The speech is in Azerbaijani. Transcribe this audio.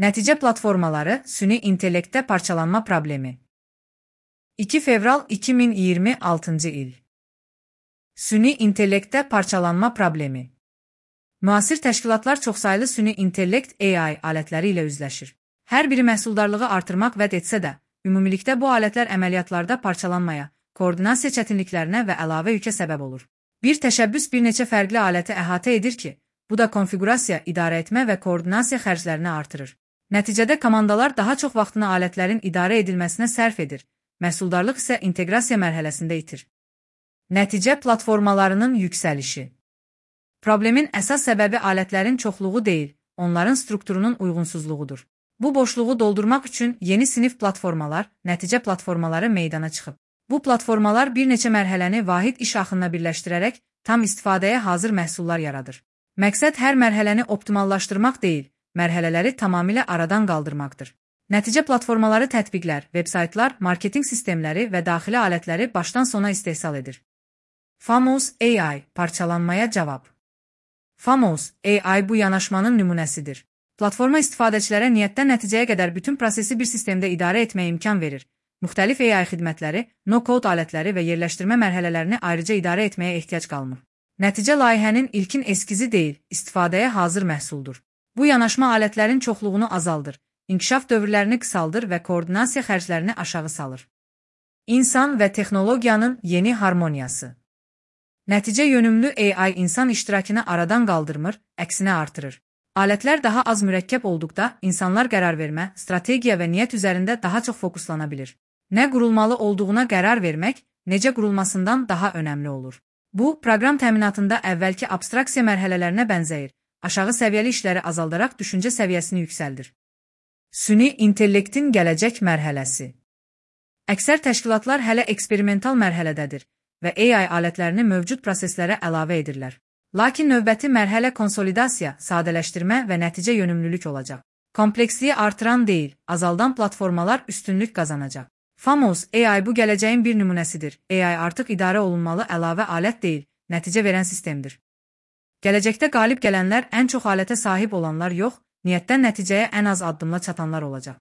Nəticə platformaları süni intellektdə parçalanma problemi. 2 fevral 2026-cı il. Süni intellektdə parçalanma problemi. Müasir təşkilatlar çoxsaylı süni intellekt AI alətləri ilə üzləşir. Hər biri məhsuldarlığı artırmaq vəd etsə də, ümumilikdə bu alətlər əməliyyatlarda parçalanmaya, koordinasiya çətinliklərinə və əlavə yükə səbəb olur. Bir təşəbbüs bir neçə fərqli aləti əhatə edir ki, bu da konfiqurasiya, idarə etmə və koordinasiya xərclərini artırır. Nəticədə komandalar daha çox vaxtını alətlərin idarə edilməsinə sərf edir, məhsuldarlıq isə inteqrasiya mərhələsində itir. Nəticə platformalarının yüksəlişi. Problemin əsas səbəbi alətlərin çoxluğu deyil, onların strukturunun uyğunsuzluğudur. Bu boşluğu doldurmaq üçün yeni sinif platformalar, nəticə platformaları meydana çıxıb. Bu platformalar bir neçə mərhələni vahid iş axınına birləşdirərək tam istifadəyə hazır məhsullar yaradır. Məqsəd hər mərhələni optimallaşdırmaq deyil, mərhələləri tamamilə aradan qaldırmaqdır. Nəticə platformaları tətbiqlər, veb-saytlar, marketinq sistemləri və daxili alətləri başdan sona istehsal edir. Famous AI parçalanmaya cavab. Famous AI bu yanaşmanın nümunəsidir. Platforma istifadəçilərə niyyətdən nəticəyə qədər bütün prosesi bir sistemdə idarə etməyə imkan verir. Müxtəlif AI xidmətləri, no-code alətləri və yerləşdirmə mərhələlərini ayrıca idarə etməyə ehtiyac qalmır. Nəticə layihənin ilkin eskizi deyil, istifadəyə hazır məhsuldur. Bu yanaşma alətlərin çoxluğunu azaldır, inkişaf dövrlərini qısaldır və koordinasiya xərclərini aşağı salır. İnsan və texnologiyanın yeni harmoniyası. Nəticə yönümlü AI insan iştirakını aradan qaldırmır, əksinə artırır. Alətlər daha az mürəkkəb olduqda insanlar qərar vermə, strategiya və niyyət üzərində daha çox fokuslana bilir. Nə qurulmalı olduğuna qərar vermək, necə qurulmasından daha önəmli olur. Bu, proqram təminatında əvvəlki abstraksiya mərhələlərinə bənzəyir, aşağı səviyyəli işləri azaldaraq düşüncə səviyyəsini yüksəldir. Süni intellektin gələcək mərhələsi. Əksər təşkilatlar hələ eksperimental mərhələdədir və AI alətlərini mövcud proseslərə əlavə edirlər. Lakin növbəti mərhələ konsolidasiya, sadələşdirmə və nəticə yönümlülük olacaq. Kompleksliyi artıran deyil, azaldan platformalar üstünlük qazanacaq. Famous AI bu gələcəyin bir nümunəsidir. AI artıq idarə olunmalı əlavə alət deyil, nəticə verən sistemdir. Gələcəkdə qalib gələnlər ən çox alətə sahib olanlar yox, niyyətdən nəticəyə ən az addımla çatanlar olacaq.